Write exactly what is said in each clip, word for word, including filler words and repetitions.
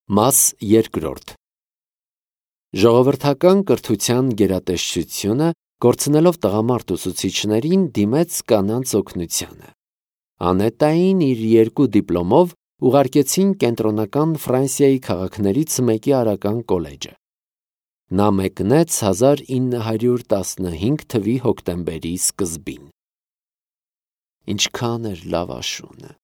Մաս երկրորդ Ժողովրդական կրթության գերատեսչությունը, կորցնելով տղամարդ ուսուցիչներին, դիմեց կանանց օգնությանը։ Անետային իր երկու դիպլոմով ուղարկեցին կենտրոնական Ֆրանսիայի քաղաքներից մեկի արական կոլեջը։ Նա մեկնեց հազար ինը հարյուր տասնհինգ թվականի հոկտեմբերի սկզբին։ Ինչքան էր լավ աշունը։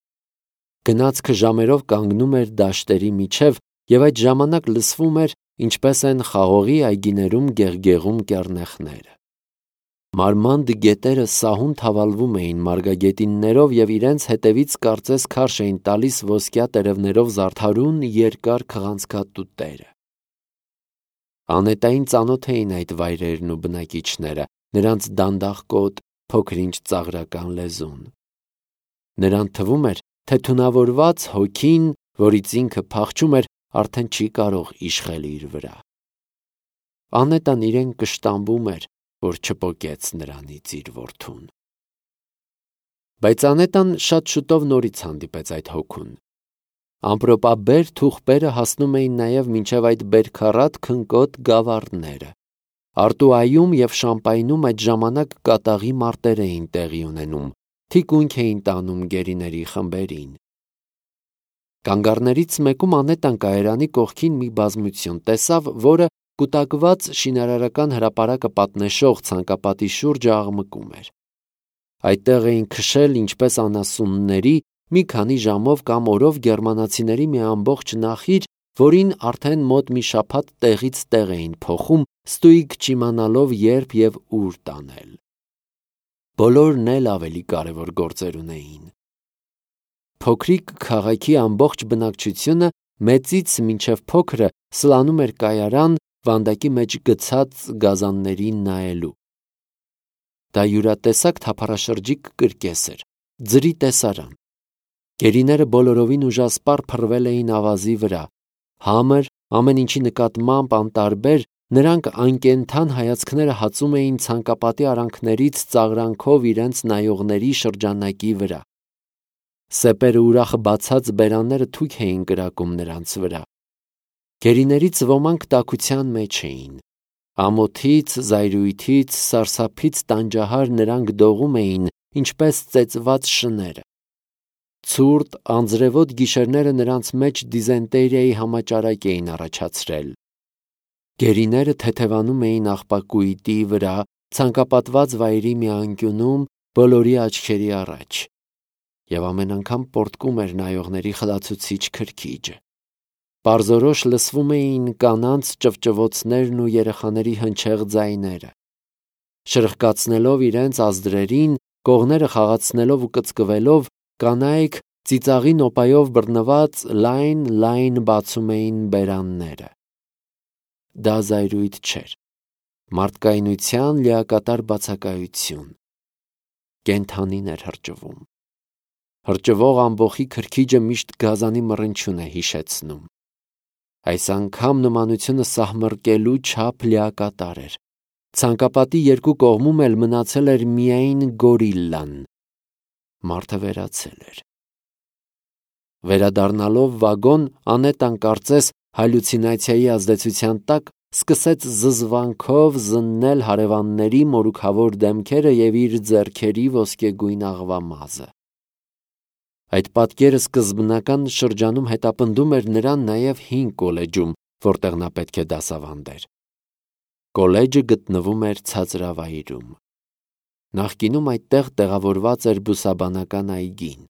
Գնացքը ժամերով կանգնում էր դաշտերի միջև, և այդ ժամանակ լսվում էր, ինչպես են խաղողի այգիներում գեղգեղում կեռնեխները։ Մարմանդ գետերը սահուն թավալվում էին մարգագետիններով և իրենց հետևից կարծես քարշ էին տալիս ոսկյա տերևներով զարդարուն երկար քղանցքատուտերը։ Անետային ծանոթ էին այդ վայրերն ու բնակիչները, նրանց դանդաղկոտ, փոքր-ինչ ծաղրական լեզուն։ Նրան թվում էր, թե թունավորված հոգին, որից ինքը փախչում էր, արդեն չի կարող իշխել իր վրա։ Անետան իրեն կշտամբում էր, որ չպոկեց նրանից իր որդուն։ Բայց Անետան շատ շուտով նորից հանդիպեց այդ հոգուն։ Ամպրոպաբեր թուղթերը հասնում էին նաև մինչև այդ բերքառատ քնկոտ գավառները։ Արտուայում և Շամպայնում այդ ժամանակ կատաղի մարտեր էին տեղի ունենում, թիկունք էին տանում գերիների խմբերին։ Կանգառներից մեկում Անետան կայարանի կողքին մի բազմություն տեսավ, որը կուտակված շինարարական հրապարակը պատնեշող ցանկապատի շուրջը աղմկում էր։ Այդտեղ էին քշել ինչպես անասունների մի քանի ժամով կամ օրով գերմանացիների մի ամբողջ նախիր, որին արդեն մոտ մի շաբաթ տեղից տեղ էին փոխում, ստույգ չիմանալով երբ և ուր տանել։ Բոլորն էլ ավելի կարևոր գործեր ունեին։ Փոքրիկ քաղաքի ամբողջ բնակչությունը մեծից մինչև փոքրը սլանում էր կայարան, վանդակի մեջ գցած գազաններին նայելու։ Դա յուրատեսակ թափառաշրջիկ կրկես էր, ձրի տեսարան։ Գերիները բոլորովին ուժասպառ փռվել էին ավազի վրա։ Համր, ամեն ինչի նկատմամբ անտարբեր, նրանք անկենդան հայացքները հածում էին ցանկապատի արանքներից ծաղրանքով իրենց նայողների շրջանակի վրա։ Սեպերը ուրախ բացած բերանները թույք էին կրակում նրանց վրա։ Գերիներից ոմանք տաքության մեջ էին։ Ամոթից, զայրույթից, սարսափից տանջահար նրանք դողում էին, ինչպես ծեծված շները։ Ցուրտ, անձրևոտ գիշերները նրանց մեջ դիզենտերիայի համաճարակ էին առաջացրել։ Գերիները թեթևանում էին աղբակույտի վրա, ցանկապատված վայրի մի անկյունում, բոլորի աչքերի առաջ։ Եվ ամեն անգամ պոռթկում էր նայողների խլացուցիչ քրքիջը։ Պարզորոշ լսվում էին կանանց ճվճվոցներն ու երեխաների հնչեղ ձայները։ Շրխկացնելով իրենց ազդրերին, կողները խաղացնելով ու կծկվելով, կանայք ծիծաղի նոպայով բռնված լայն-լայն բացում էին բերանները։ Դա զայրույթ չէր, մարդկայնության լիակատար բացակայություն։ Կենդանին էր հրճվում։ Հրճվող ամբոխի քրքիջը միշտ գազանի մռնչյուն է հիշեցնում։ Այս անգամ նմանությունը սահմռկելու չափ լիակատար էր։ Ցանկապատի երկու կողմում էլ մնացել էր միայն գորիլլան։ Մարդը վերացել էր։ Վերադառնալով վագոն, Անետան կարծես հալյուցինացիայի ազդեցության տակ սկսեց զզվանքով զննել հարևանների մորուքավոր դեմքերը և իր ձեռքերի ոսկեգույն աղվամազը։ Այդ պատկերը սկզբնական շրջանում հետապնդում էր նրան նաև հին կոլեջում, որտեղ նա պետք է դասավանդեր։ Կոլեջը գտնվում էր ցածրավայրում։ Նախկինում այդտեղ տեղավորված էր բուսաբանական այգին։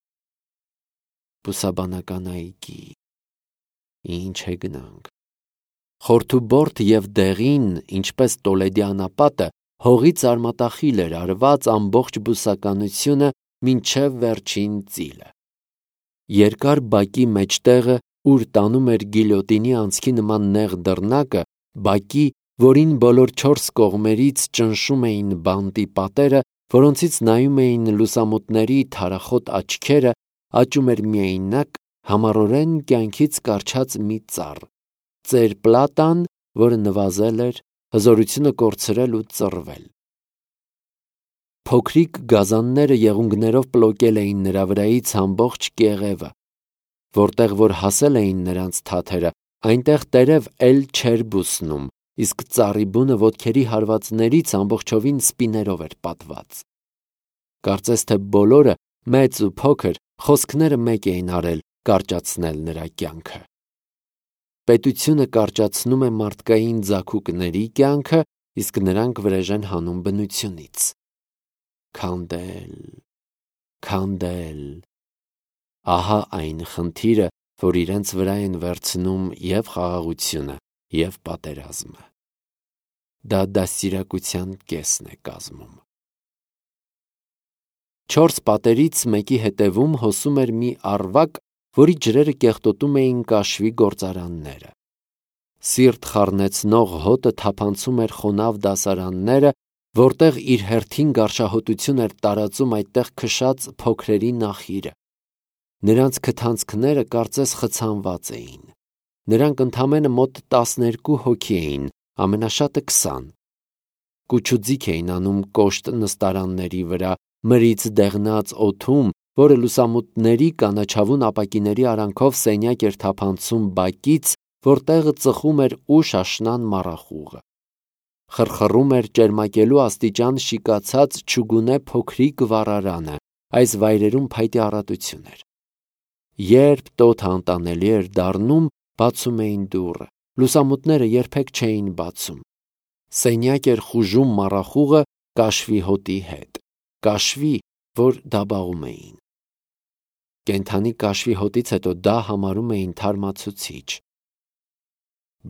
Բուսաբանական այգի… Ինչ հեգնանք։ Խորթուբորթ և դեղին, ինչպես Տոլեդի անապատը, հողից արմատախիլ էր արված ամբողջ բուսականությունը մինչև վերջին ծիլը։ Երկար բակի մեջտեղը, ուր տանում էր գիլյոտինի անցքի նման նեղ դռնակը, բակի, որին բոլոր չորս կողմերից ճնշում էին բանտի պատերը, որոնցից նայում էին լուսամուտների թարախոտ աչքերը, աճում էր միայնակ, համառորեն կյանքից կառչած մի ծառ՝ ծեր-պլատան, որը նվազել էր, հզորությունը կորցրել ու ծռվել։ Փոքրիկ գազանները եղունգներով պլոկել էին նրա վրայից ամբողջ կեղևը։ Որտեղ որ հասել էին նրանց թաթերը, Այնտեղ տերև էլ չէր բուսնում, իսկ ծառի բունը ոտքերի հարվածներից ամբողջովին սպիներով էր պատված։ Կարծես թե բոլորը, մեծ ու փոքր, խոսքները մեկ էին արել կարճացնել նրա կյանքը։ Պետությունը կարճացնում է մարդկային ձագուկների կյանքը, իսկ նրանք վրեժ են հանում բնությունից։ Քանդել, քանդել։ Ահա այն խնդիրը, որ իրենց վրա են վերցնում և խաղաղությունը, և պատերազմը։ Դա դաստիարակության կեսն է կազմում։ Չորս պատերից մեկի հետևում հոսում էր մի առվակ, որի ջրերը կեղտոտում էին կաշվի գործարանները։ Սիրտ խառնեցնող հոտը թափանցում էր խոնավ դասարանները, որտեղ իր հերթին գարշահոտություն էր տարածում այդտեղ քշած փոքրերի նախիրը։ Նրանց քթանցքները կարծես խցանված էին։ Նրանք ընդամենը մոտ տասներկու հոգի էին, ամենաշատը քսան։ Կուչուձիգ էին անում կոշտ նստարանների վրա, մրից դեղնած օդում, որը լուսամուտների կանաչավուն ապակիների արանքով սենյակ էր թափանցում բակից, որտեղ ծխում էր ուշ աշնան մառախուղը։ Խրխռում էր ճերմակելու աստիճան շիկացած չուգունե փոքրիկ վառարանը, այս վայրերում փայտե առատություն էր։ Երբ տոթը անտանելի էր դառնում, բացում էին դուռը, լուսամուտները երբեք չէին բացում։ Սենյակ էր խուժում մառախուղը կաշվի հոտի հետ, կաշվի, որ դաբաղում էին։ Կենդանի կաշվի հոտից հետո դա համարում էին թարմացուցիչ։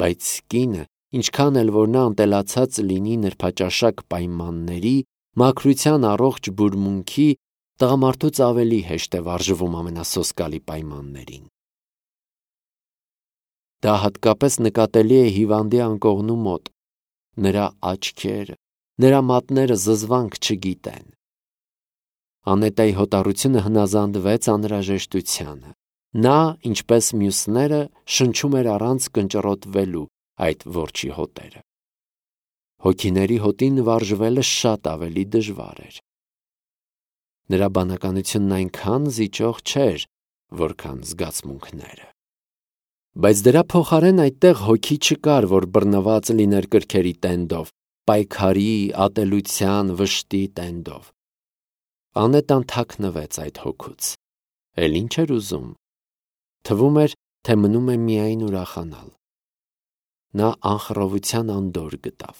Բայց կինը, ինչքան էլ որ նա ընտելացած լինի նրբաճաշակ պայմանների, մաքրության առողջ բուրմունքի, տղամարդուց ավելի հեշտ է վարժվում ամենասոսկալի պայմաններին։ Դա հատկապես նկատելի է հիվանդի անկողնու մոտ։ Նրա աչքերը, նրա մատները զզվանք չգիտեն։ Անետայի հոտառությունը հնազանդվեց անհրաժեշտությանը։ Նա, ինչպես մյուսները, շնչում էր առանց կնճռոտվելու այդ որջի հոտերը։ Հոգիների հոտին վարժվելը շատ ավելի դժվար էր։ Նրա բանականությունն այնքան զիջող չէր, որքան զգացմունքները։ Բայց դրա փոխարեն այդտեղ հոգի չկար, որ բռնված լիներ կրքերի տենդով, պայքարի, ատելության, վշտի տենդով։ Անետան թաքնվեց այդ հոգուց։ Էլ ինչ էր ուզում։ Թվում էր, թե մնում է միայն ուրախանալ։ Նա անխռովության անդորր գտավ։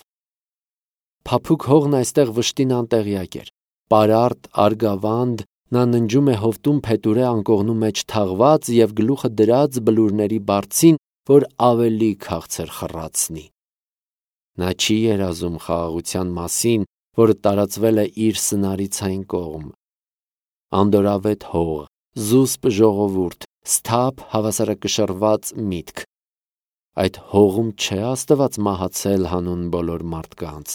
Փափուկ հողն այստեղ վշտին անտեղյակ էր։ Պարարտ, արգավանդ, նա ննջում է հովտում փետուրե անկողնու մեջ թաղված և գլուխը դրած բլուրների բարձին, որ ավելի քաղցր խռացնի։ Նա չի երազում խաղաղության մասին, որը տարածվել է իր սնարից այն կողմ։ Անդորավետ հող, զուսպ ժողովուրդ, սթափ հավասարակշռված միտք։ Այդ հողում չէ Աստված մահացել հանուն բոլոր մարդկանց։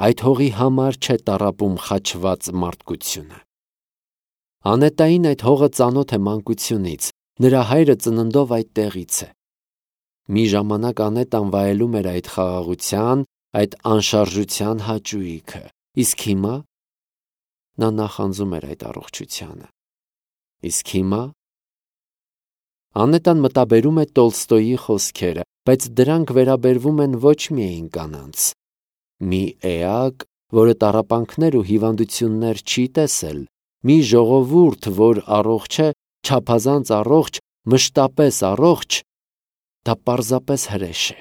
Այդ հողի համար չէ տառապում խաչված մարդկությունը։ Անետային այդ հողը ծանոթ է մանկությունից, նրա հայրը ծննդով այդտեղից է։ Մի ժամանակ Անետան վայելում էր այդ խաղաղության, այդ անշարժության հաճույքը, իսկ հիմա նա նախանձում էր այդ առողջությանը։ Իսկ հիմա Անետան մտաբերում է Տոլստոյի խոսքերը, բայց դրանք վերաբերվում են ոչ միայն կանանց։ Մի էակ, որը տառապանքներ ու հիվանդություններ չի տեսել, մի ժողովուրդ, որ առողջ է, չափազանց առողջ, մշտապես առողջ, դա պարզապես հրեշ է։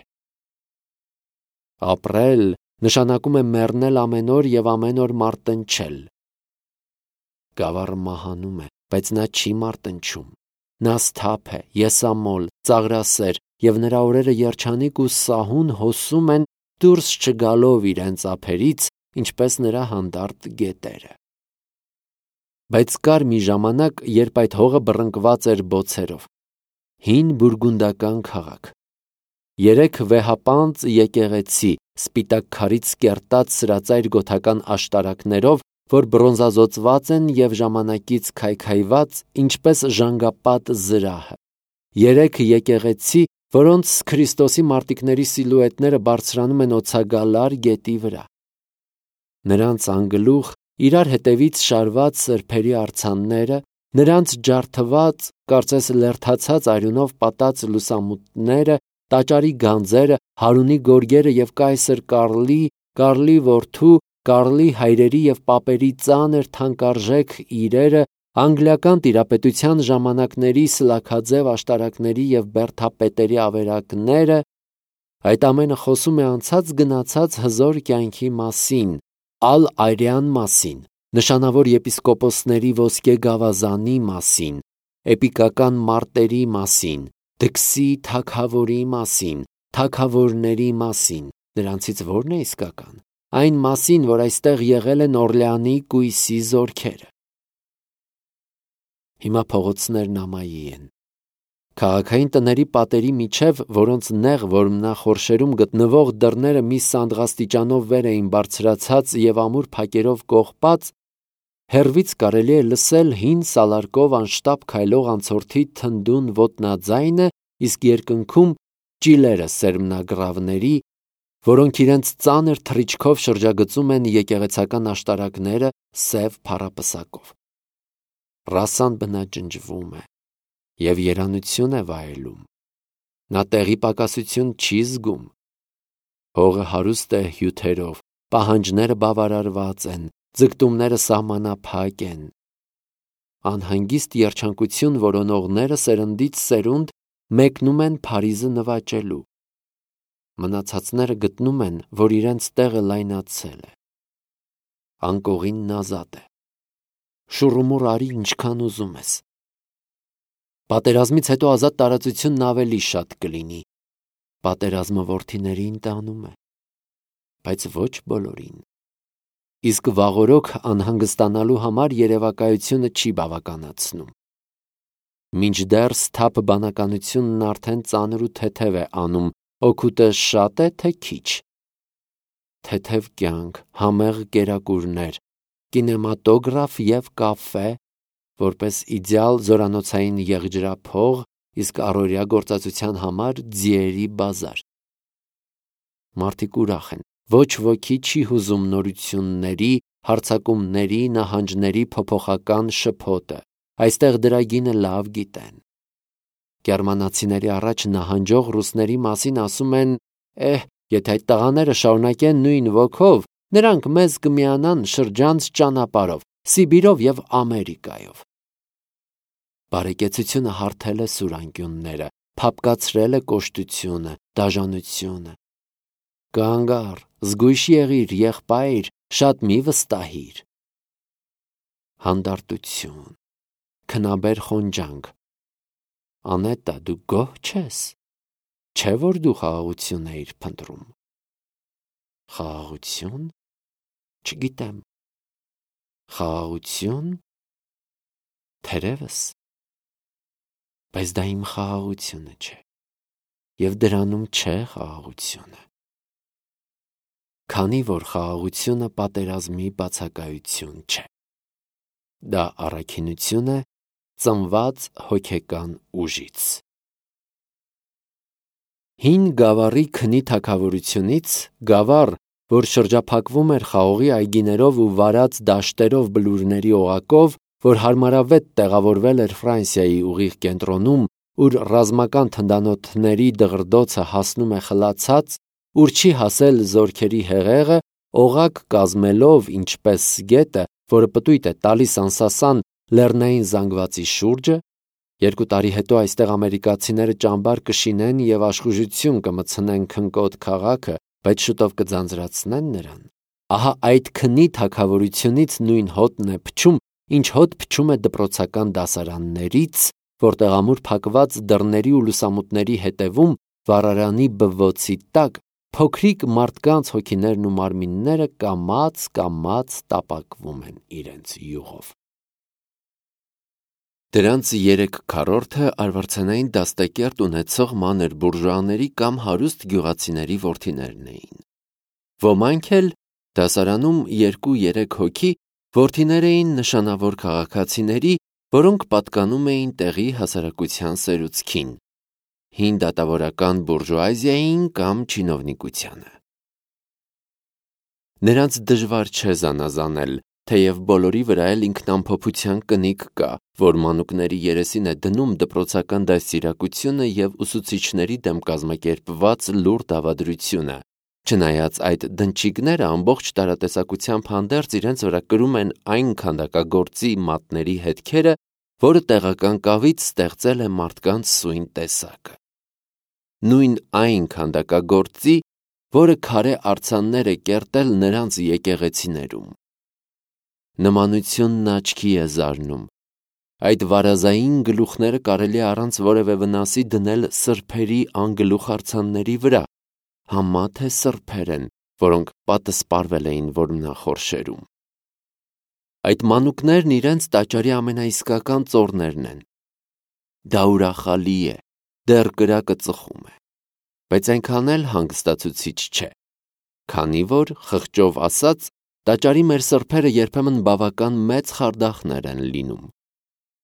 Ապրել նշանակում է մեռնել ամեն օր և ամեն օր մարտնչել։ Գավառը մահանում է, բայց նա չի մարտնչում։ Նա սթափ է, եսամոլ, ծաղրասեր, և նրա օրերը երջանիկ ու սահուն հոսում են, դուրս չգալով իրենց ափերից, ինչպես նրա հանդարտ գետերը։ Բայց կար մի ժամանակ, երբ այդ հողը բռնկված էր բոցերով։ Հին բուրգունդական քաղաք։ Երեք վեհապանծ եկեղեցի, սպիտակ քարից կերտած սրածայր գոթական աշտարակներով, որ բրոնզազօծված են և ժամանակից քայքայված, ինչպես ժանգապատ զրահը։ Երեք եկեղեցի, որոնց Քրիստոսի մարտիկների սիլուետները բարձրանում են օձագալար գետի վրա։ Նրանց անգլուխ իրար հետևից շարված սրբերի արձանները, Նրանց ջարդված, կարծես լերթացած արյունով պատած լուսամուտները, տաճարի գանձերը, Հարունի գորգերը և կայսր Կարլի, Կարլի որդու, Կարլի հայրերի և պապերի ծանր թանկարժեք իրերը, անգլիական տիրապետության ժամանակների սլաքաձև աշտարակների և բերդապետերի ավերակները, այդ ամենը խոսում է անցած գնացած հզոր կյանքի մասին, ալ-Արյան մասին, նշանավոր եպիսկոպոսների ոսկե գավազանի մասին, էպիկական մարտերի մասին, դքսի թագավորի մասին, թագավորների մասին, նրանցից ո՞րն է իսկական, այն մասին, որ այստեղ եղել են Օրլեանի կույսի զորքերը։ Հիմա փողոցներն ամայի են։ Քաղաքային տների պատերի միջև, որոնց նեղ որմնախորշերում գտնվող դռները մի սանդղաստիճանով վեր էին բարձրացած և ամուր փակերով կողպած, հեռվից կարելի է լսել հին սալարկով անշտապ քայլող անցորդի թնդուն ոտնաձայնը, իսկ երկնքում ճիլերը սերմնագրավների, որոնք իրենց ծանր թռիչքով շրջագծում են եկեղեցական աշտարակները սև փառապսակով։ Ռասսան բնաջնջվում է և երանություն է վայելում։ Նա տեղի պակասություն չի զգում։ Հողը հարուստ է հյութերով, պահանջները բավարարված են, ձգտումները սահմանափակ են։ Անհանգիստ երջանկություն որոնողները սերնդից սերունդ մեկնում են Փարիզը նվաճելու։ Մնացածները գտնում են, որ իրենց տեղը լայնացել է։ Անկողինն ազատ է։ Շուռումուռ արի ինչքան ուզում ես։ Պատերազմից հետո ազատ տարածությունն ավելի շատ կլինի։ Պատերազմը որդիներին տանում է, բայց ոչ բոլորին։ Իսկ վաղօրոք անհանգստանալու համար երևակայությունը չի բավականացնում։ Մինչդեռ սթափ բանականությունն արդեն ծանր ու թեթև է անում, օգուտը շա՞տ է, թե քիչ։ Թեթև կյանք, համեղ կերակուրներ, կինեմատոգրաֆ և կաֆե, որպես իդեալ զորանոցային եղջրափող, իսկ առօրյա գործածության համար ձիերի բազար։ Մարդիկ ուրախ են, ոչ ոքի չի հուզում նորությունների, հարձակումների, նահանջների փոփոխական շփոթը, այստեղ դրա գինը լավ գիտեն։ Գերմանացիների առաջ նահանջող ռուսների մասին ասում են. «Էհ, եթե այդ տղաները շարունակեն նույն ոգով, նրանք մեզ կմիանան շրջանց ճանապարհով, Սիբիրով և Ամերիկայով»։ Բարեկեցությունը հարթել է սուրանկյունները, փափկացրել է կոշտությունը, դաժանությունը։ Կանգ առ, զգույշ եղիր, եղբայր, շատ մի վստահիր։ Հանդարտություն, քնաբեր խոնջանք։ Անետա, դու գոհ չես, չէ՞ որ դու խաղաղություն էիր փնտրում։ Խաղաղություն։ Չգիտեմ։ Խաղաղություն։ Թերևս։ Բայց դա իմ խաղաղությունը չէ, և դրանում չէ խաղաղությունը։ Քանի որ խաղաղությունը պատերազմի բացակայություն չէ։ Դա առաքինություն է, ծնված հոգեկան ուժից։ Հին Գավառի քնի թագավորությունից, Գավառ, որ շրջափակվում էր խաղողի այգիներով ու վարած դաշտերով բլուրների օղակով, որ հարմարավետ տեղավորվել էր Ֆրանսիայի ուղիղ կենտրոնում, ուր ռազմական թնդանոթների դղրդոցը հասնում է խլացած, ուր չի հասել զորքերի հեղեղը, օղակ կազմելով, ինչպես գետը, որը պտույտ է տալիս անսասան լեռնային զանգվածի շուրջը, երկու տարի հետո այստեղ ամերիկացիները ճամբար կշինեն և աշխուժություն կմտցնեն քնկոտ քաղաքը, բայց շուտով կձանձրացնեն նրան։ Ահա այդ քնի թագավորությունից նույն հոտն է փչում, ինչ հոտ փչում է դպրոցական դասարաններից, որտեղ ամուր փակված դռների ու լուսամուտների հետևում վառարանի բվոցի տակ փոքրիկ մարդկանց հոգիներն ու մարմինները կամաց-կամաց տապակվում են իրենց յուղով։ Դրանց երեք քառորդը արվարձանային դաստակերտ ունեցող մանր բուրժուաների կամ հարուստ գյուղացիների որդիներն էին։ Ոմանք էլ դասարանում երկու-երեք հոգի որդիներ էին նշանավոր քաղաքացիների, որոնք պատկանում էին տեղի հասարակության սերուցքին, հին դատավորական բուրժուազիային կամ չինովնիկությանը։ Նրանց դժվար չէ զանազանել, թեև բոլորի վրա էլ ինքնամփոփության կնիկ կա, որ մանուկների երեսին է դնում դպրոցական դաստիարակությունը և ուսուցիչների դեմ կազմակերպված լուռ դավադրությունը, չնայած այդ դնչիկները ամբողջ տարատեսակությամբ հանդերձ իրենց վրա կրում են այն քանդակագործի մատների հետքերը, որը տեղական կավից ստեղծել է մարդկանց սույն տեսակը։ Նույն այն քանդակագործի, որը քարե արձաններ է կերտել նրանց եկեղեցիներում։ Նմանությունն աչքի է զարնում։ Այդ վարազային գլուխները կարելի է առանց որևէ վնասի դնել սրբերի անգլուխ արձանների վրա, համա թե սրբեր են, որոնք պատսպարվել էին որմնախորշերում։ Այդ մանուկներն իրենց տաճարի ամենաիսկական ծոռներն են։ Դա ուրախալի է, դեռ կրակը ծխում է, բայց այնքան էլ հանգստացուցիչ չէ, քանի որ, խղճով ասած, տաճարի մեր սրբերը երբեմն բավական մեծ խարդախներ են լինում,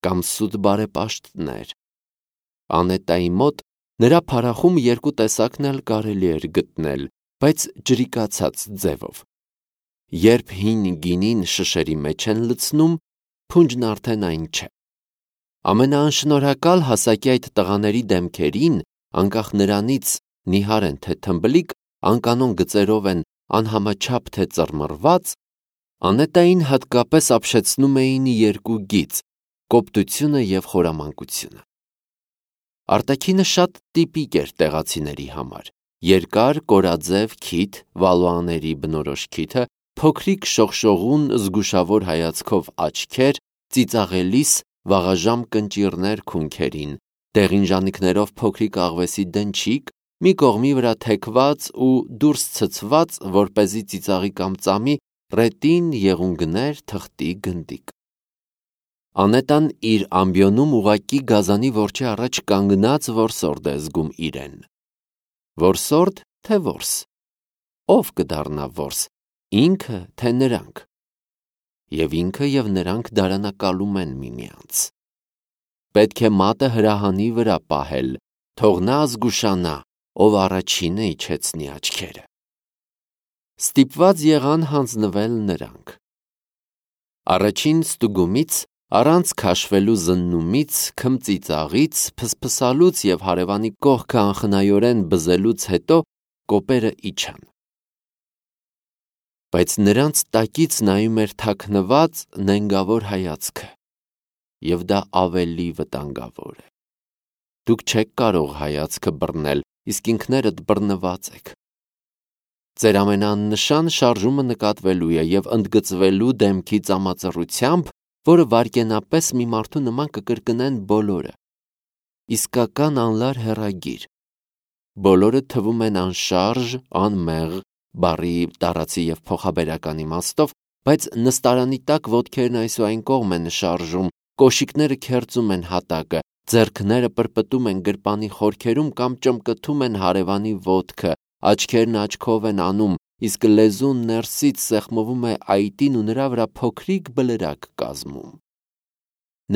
կամ սուտ բարեպաշտներ։ Անետայի մոտ նրա փարախում երկու տեսակն էլ կարելի էր գտնել, բայց ջրիկացած ձևով։ Երբ հին գինին շշերի մեջ են լցնում, փունջն արդեն այն չէ։ Ամենաանշնորհակալ հասակի այդ տղաների դեմքերին, անկախ նրանից նիհար են թե թմբլիկ, անկանոն գծերով են անհամաչափ թե ծռմռված, Անետային հատկապես ապշեցնում էին երկու գիծ՝ կոպտությունը և խորամանկությունը։ Արտաքինը շատ տիպիկ էր տեղացիների համար. երկար, կորաձև քիթ, վալուաների բնորոշ քիթը, փոքրիկ շողշողուն զգուշավոր հայացքով աչքեր, ծիծաղելիս վաղաժամ կնճիռներ քունքերին, դեղին ժանիքներով փոքրիկ աղվեսի դնչիկ, մի կողմի վրա թեքված ու դուրս ցցված, որպեսզի ծիծաղի կամ ծամի, ռետին եղունգներ, թղթի գնդիկ։ Անետան իր ամբիոնում ուղղակի գազանի որջի առաջ կանգնած որսորդ է զգում իրեն։ Որսորդ, թե որս։ Ով կդառնա որս, ինքը, թե նրանք։ Եվ ինքը և նրանք դարանակալում են միմյանց։ Պետք է մատը հրահանի վրա պահել, թող նա զգուշանա, ով առաջինը իջեցնի աչքերը։ Ստիպված եղան հանձնվել նրանք։ Առաջին ստուգումից, առանց քաշվելու զննումից, քմծիծաղից, փսփսալուց և հարևանի կողքը անխնայորեն բզելուց հետո կոպերը իջան։ Բայց նրանց տակից նայում էր թաքնված, նենգավոր հայացքը, և դա ավելի վտանգավոր է։ Դուք չեք կարող հայացքը բռնել, իսկ ինքներդ բռնված եք։ Ձեր ամենաաննշան շարժումը նկատվելու է և ընդգծվելու դեմքի ծամածռությամբ, որը վայրկենապես մի մարդու նման կկրկնեն բոլորը։ Իսկական անլար հեռագիր։ Բոլորը թվում են անշարժ, անմեղ, բառի տարածի և փոխաբերական իմաստով, բայց նստարանի տակ ոտքերն այս ու այն կողմ են շարժում, կոշիկները քերծում են հատակը, ձեռքները պրպտում են գրպանի խորքերում կամ ճմկթում են հարևանի ոտքը, աչքերն աչքով են անում, իսկ լեզուն ներսից սեղմվում է այտին ու նրա վրա փոքրիկ բլրակ կազմում։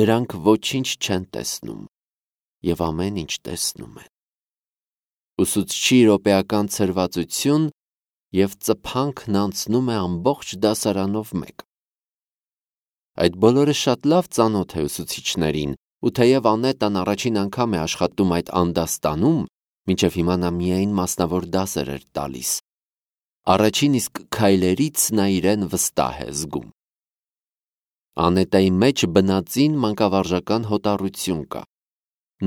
Նրանք ոչինչ չեն տեսնում և ամեն ինչ տեսնում են։ Ուսուցչի րոպեական ցրվածություն և ծփանքն անցնում է ամբողջ դասարանով մեկ։ Այդ բոլորը շատ լավ ծանոթ է ուսուցիչներին, ու թեև Անետան առաջին անգամ է աշխատում այդ անդաստանում, մինչև հիմա նա միայն մասնավոր դասեր էր տալիս, առաջին իսկ քայլերից նա իրեն վստահ է զգում։ Անետայի մեջ բնածին մանկավարժական հոտառություն կա։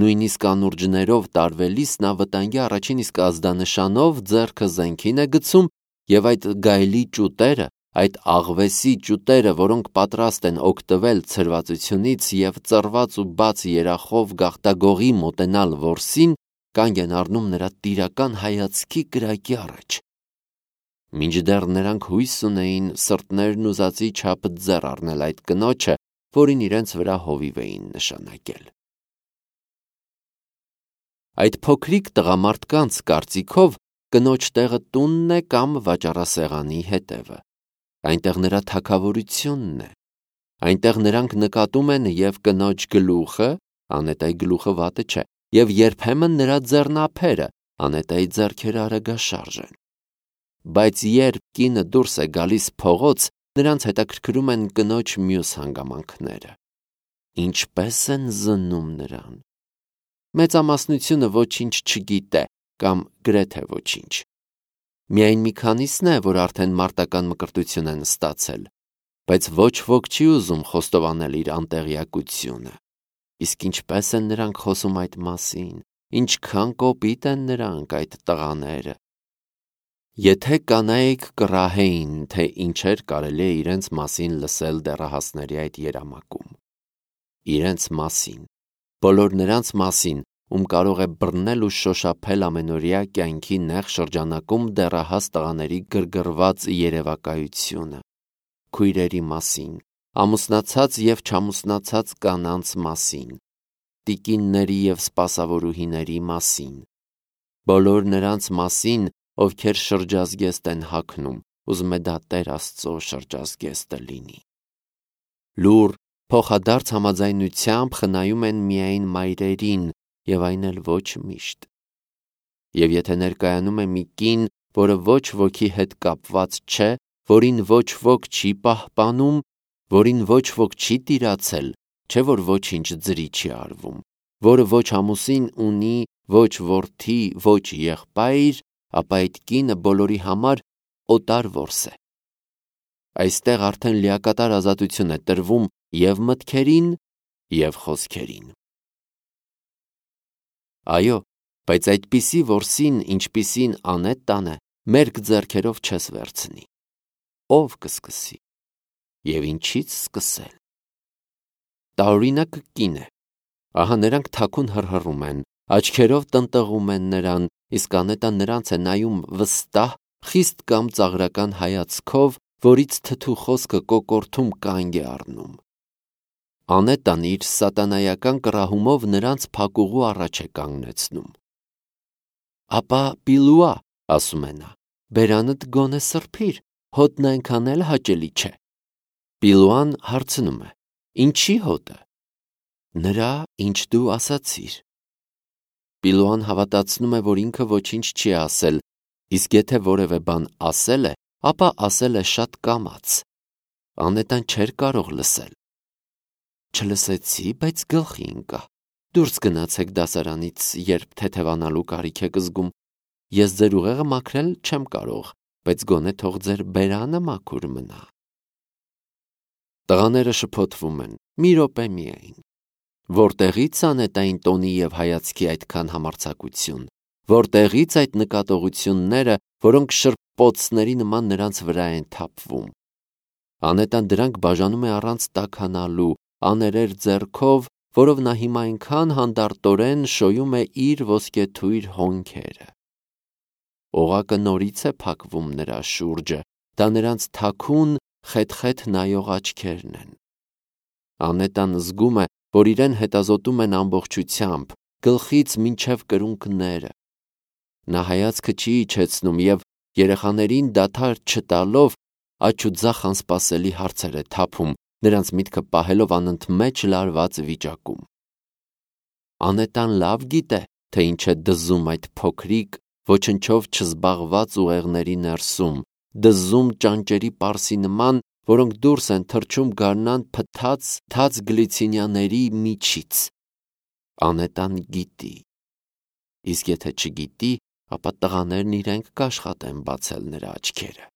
Նույնիսկ անուրջներով տարվելիս նա վտանգի առաջին իսկ ազդանշանով ձեռքը զենքին է գցում և այդ գայլի ճուտերը, այդ աղվեսի ճուտերը, որոնք պատրաստ են օգտվել ցրվածությունից և ծռված ու բաց երախով գաղտագողի մոտենալ որսին, կանգ են առնում նրա տիրական հայացքի կրակի առաջ։ Մինչդեռ նրանք հույս ունեին սրտներն ուզածի չափ ձեռ առնել այդ կնոջը, որին իրենց վրա հովիվ էին նշանակել։ Այդ փոքրիկ տղամարդկանց կարծիքով կնոջ տեղը տունն է կամ վաճառասեղանի հետևը։ Այնտեղ նրա թագավորությունն է։ Այնտեղ նրանք նկատում են և կնոջ գլուխը, Անետայի գլուխը վատը չէ, և երբեմն նրա ձեռնափերը, Անետայի ձեռքերը արագաշարժ են։ Բայց երբ կինը դուրս է գալիս փողոց, նրանց հետաքրքրում են կնոջ մյուս հանգամանքները։ Ինչպես են զննում նրան։ Մեծամասնությունը ոչինչ չգիտե կամ գրեթե ոչինչ։ Միայն մի քանիսն է, որ արդեն մարտական մկրտություն են ստացել, բայց ոչ ոք չի ուզում խոստովանել իր անտեղյակությունը։ Իսկ ինչպես են նրանք խոսում այդ մասին, ինչքան կոպիտ են նրանք այդ տղաները։ Եթե կանայք կռահեին, թե ինչեր կարելի է իրենց մասին լսել դեռահասների այդ երամակում։ Իրենց մասին, բոլոր նրանց մասին, ում կարող է բռնել ու շոշափել ամենօրյա կյանքի նեղ շրջանակում դեռահաս տղաների գրգռված երևակայությունը, քույրերի մասին, ամուսնացած և չամուսնացած կանանց մասին, տիկինների և սպասավորուհիների մասին, բոլոր նրանց մասին, ովքեր շրջազգեստ են հագնում, ուզում է դա Տեր Աստծո շրջազգեստը լինի։ Լուռ, փոխադարձ համաձայնությամբ խնայում են միայն մայրերին, և այն էլ ոչ միշտ։ Եվ եթե ներկայանում է մի կին, որը ոչ ոքի հետ կապված չէ, որին ոչ ոք չի պահպանում, որին ոչ ոք չի տիրացել, չէ որ ոչինչ ձրի չի արվում, որը ոչ ամուսին ունի, ոչ որդի, ոչ եղբայր, ապա այդ կինը բոլորի համար օտար որս է։ Այստեղ արդեն լիակատար ազատություն է տրվում և մտքերին, և խոսքերին։ Այո, բայց այդպիսի որսին, ինչպիսին Անետտան է, մերկ ձեռքերով չես վերցնի։ Ո՞վ կսկսի։ Եվ ինչի՞ց սկսել։ Տարօրինակ կին է։ Ահա նրանք թաքուն հռհռում են, աչքերով տնտղում են նրան, իսկ Անետտան նրանց է նայում վստահ, խիստ կամ ծաղրական հայացքով, որից թթու խոսքը կոկորդում կանգ է առնում։ Անետտան իր սատանայական կռահումով նրանց փակուղու առաջ է կանգնեցնում։ Ապա Պիլուա, ասում է նա, բերանդ գոնե սրբիր, հոտն այնքան էլ հաճելի չէ։ Պիլուան հարցնում է. Ինչի հոտը։ Նրա, ինչ դու ասացիր։ Պիլուան հավատացնում է, որ ինքը ոչինչ չի ասել, իսկ եթե որևէ բան ասել է, ապա ասել է շատ կամաց։ Անետտան չէր կարող լսել։ Չլսեցի, բայց գլխի ընկա։ Դուրս գնացեք դասարանից, երբ թեթևանալու կարիք եք զգում։ Ես ձեր ուղեղը մաքրել չեմ կարող, բայց գոնե թող ձեր բերանը մաքուր մնա։ Տղաները շփոթվում են, մի րոպե միայն։ Որտեղի՞ց Անետտային տոնի և հայացքի այդքան համարձակություն, որտեղի՞ց այդ նկատողությունները, որոնք շրպոցների նման նրանց վրա են թափվում։ Անետտան դրանք բաժանում է առանց տաքանալու, աներեր ձեռքով, որով նա հիմա այնքան հանդարտորեն շոյում է իր ոսկեթույր հոնքերը։ Օղակը նորից է փակվում նրա շուրջը, դա նրանց թաքուն, խեթխեթ նայող աչքերն են։ Անետտան զգում է, որ իրեն հետազոտում են ամբողջությամբ, գլխից մինչև կրունկները։ Նա հայացքը չի իջեցնում և երեխաներին դադար չտալով աջ ու ձախ անսպասելի հարցեր է թափում, նրանց միտքը պահելով անընդմեջ լարված վիճակում։ Անետտան լավ գիտե, թե ինչ է դզում այդ փոքրիկ, ոչնչով չզբաղված ուղեղների ներսում, դզում ճանճերի պարսի նման, որոնք դուրս են թռչում գարնան փթած թաց գլիցինիաների միջից։ Անետտան գիտի։ Իսկ եթե չգիտի, ապա տղաներն իրենք կաշխատեն բացել նրա աչքերը։